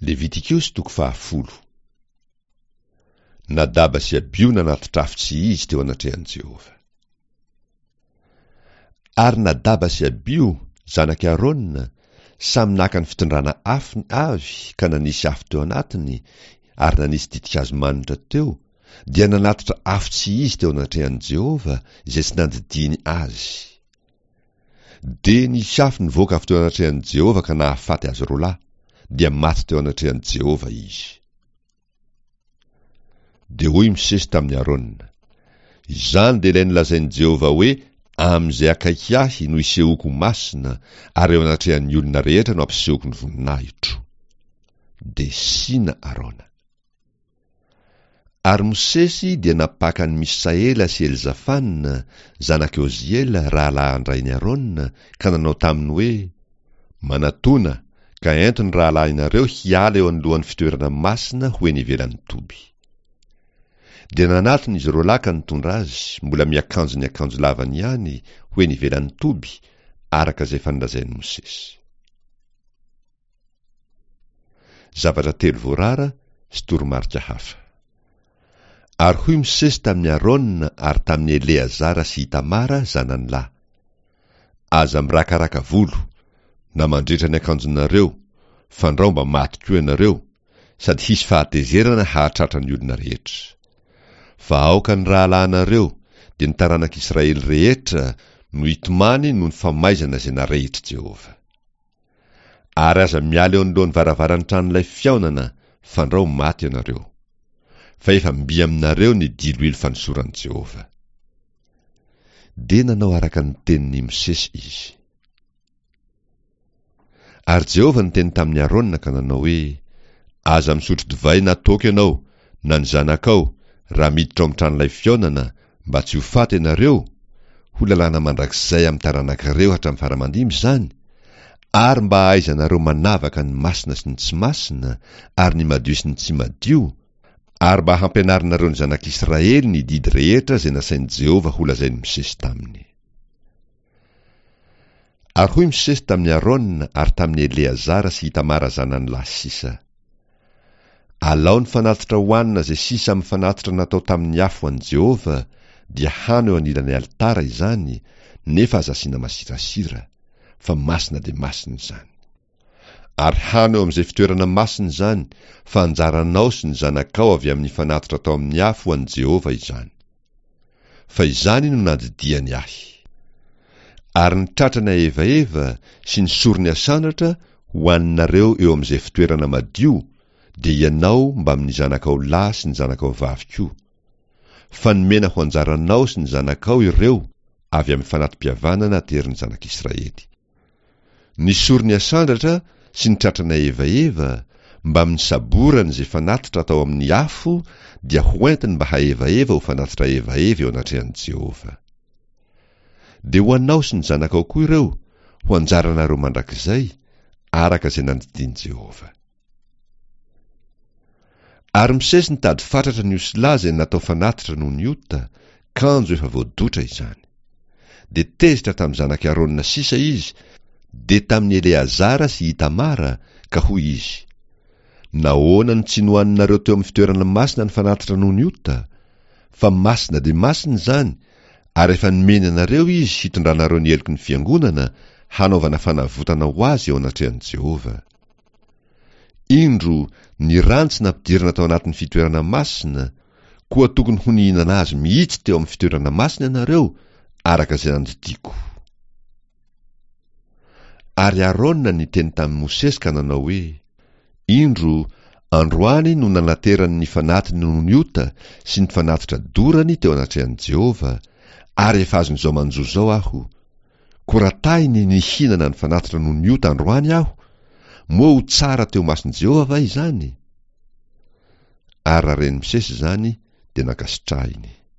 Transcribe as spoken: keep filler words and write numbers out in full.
Levitikosy toko fahafolo. Nadaba sy Abio nanatitra afo tsy izy teo anatrehan'i Jehovah. Ary Nadaba sy Abio, zanak'i Arona, samy naka ny fitondrana afony avy ka nanisy afo teo anatiny ary nanisy ditin-kazo manitra teo, dia nanatitra afo tsy izy teo anatrehan'i Jehovah izay tsy nandidiany azy. Dia nisy afo nivoaka avy teo anatrehan'i Jehovah ka nahafaty azy roa lahy, dia maty teo anatrehan'i Jehovah izy. Dia hoy Mosesy tamin'i Arona, Izany dia ilay nolazain'i Jehovah hoe, Amin'izay akaiky ahy no isehoako ho masina, ary eo anatrehan'ny olona rehetra no ampisehoko ny voninahitro. Dia sina Arona. Ary Mosesy dia nampaka an'i Misaela sy Elzafana, zanak'i Oziela, rahalahin-drain'i Arona, ka nanao taminy hoe, Manatona, ka ento ny rahalahinareo hiala eo anoloan'ny fitoerana masina ho eny ivelan'ny toby. Dia nanatona izy roalahy ka nitondra azy, mbola miakanjo ny akanjo lavany ihany, ho eny ivelan'ny toby, araka izay efa nolazain'i Mosesy. Zavatra telo voarara sy toromarika hafa. Ary hoy Mosesy tamin'i Arona ary tamin'i Eleazara sy Itamara zanany lahy, Aza mirakaraka volo, na mandritra ny akanjonareo, fandrao mba maty koa ianareo, sady hisy fahatezerana hahatratra ny olona rehetra. Fa aoka ny rahalahinareo, dia ny taranak'Israely rehetra, no hitomany noho ny famaizana izay narehitr'i Jehovah. Ary aza miala eo anoloan'ny varavaran'ny tranolay fihaonana, fandrao maty ianareo. Fa efa mby aminareo ny diloilo fanosoran'i Jehovah. Dia nanao araka ny tenin'i Mosesy izy. Ary Jehovah niteny tamin'i Arona ka nanao hoe, Aza misotro divay na toaka ianao, na ny zanakao, raha miditra ao amin'ny tranolay fihaonana, mba tsy ho faty ianareo, ho lalàna mandrakizay amin'ny taranakareo hatramin'ny fara-mandimby izany, ary mba hahaizanareo manavaka ny masina sy ny tsy masina, ary ny madio sy ny tsy madio, ary mba hampianarinareo ny zanak'Israely ny didy rehetra izay nasain'i Jehovah holazain'i Mosesy taminy. Ary hoy Mosesy tamin'i Arona ary tamin'i Eleazara sy Itamara zanany lahy sisa, Alao ny fanatitra hohanina izay sisa amin'ny fanatitra natao tamin'ny afo ho an'i Jehovah, dia hano eo anilan'ny alitara izany, nefa aza asiana masirasira, fa masina dia masina izany. Ary hano eo amin'izay fitoerana masina izany, fa anjaranao sy ny zanakao avy amin'ny fanatitra atao amin'ny afo ho an'i Jehovah izany. Fa izany no nandidiany ahy. Ary ny tratrany ahevaheva sy ny sorony asandratra ho haninareo eo amin'izay fitoerana madio, dia ianao mbamin'ny zanakao lahy sy ny zanakao vavy koa. Fa nomena ho anjaranao sy ny zanakao ireo avy amin'ny fanati-pihavanana aterin'ny zanak'Israely. Ny sorony asandratra sy ny tratrany ahevaheva, mbamin'ny saborany izay fanatitra atao amin'ny afo dia hoentiny mba hahevaheva ho fanatitra ahevaheva eo anatrehan'i Jehovah. Dia ho anao sy ny zanakao koa ireo, ho anjaranareo mandrakizay, araka izay nandidian'i Jehovah. Ary Mosesy nitady fatratra ny osilahy izay natao fanatitra noho ny ota, kanjo efa voadotra izany. Dia tezitra tamin'ny zanak'i Arona sisa izy, dia tamin'i Eleazara sy Itamara, ka hoy izy, Nahoana no tsy nohaninareo teo amin'ny fitoerana masina ny fanatitra noho ny ota? Fa masina dia masina izany, ary efa nomeny anareo izy hitondranareo ny heloky ny fiangonana, hanaovana fanavotana ho azy eo anatrehan'i Jehovah. Indro, ny rany tsy nampidirina tao anatin'ny fitoerana masina, koa tokony ho nihinana azy mihitsy teo amin'ny fitoerana masina ianareo, araka izay nandidiako. Ary Arona niteny tamin'i Mosesy ka nanao hoe, Indro, androany no nanaterany ny fanatiny noho ny ota sy ny fanatitra dorany teo anatrehan'i Jehovah, ary efa azon'izao manjo izao aho. Koa raha tahiny nihinana ny fanatitra noho ny ota androany aho, moa ho tsara teo imason'i Jehovah va izany? Ary raha ren'i Mosesy izany, dia nankasitrahiny.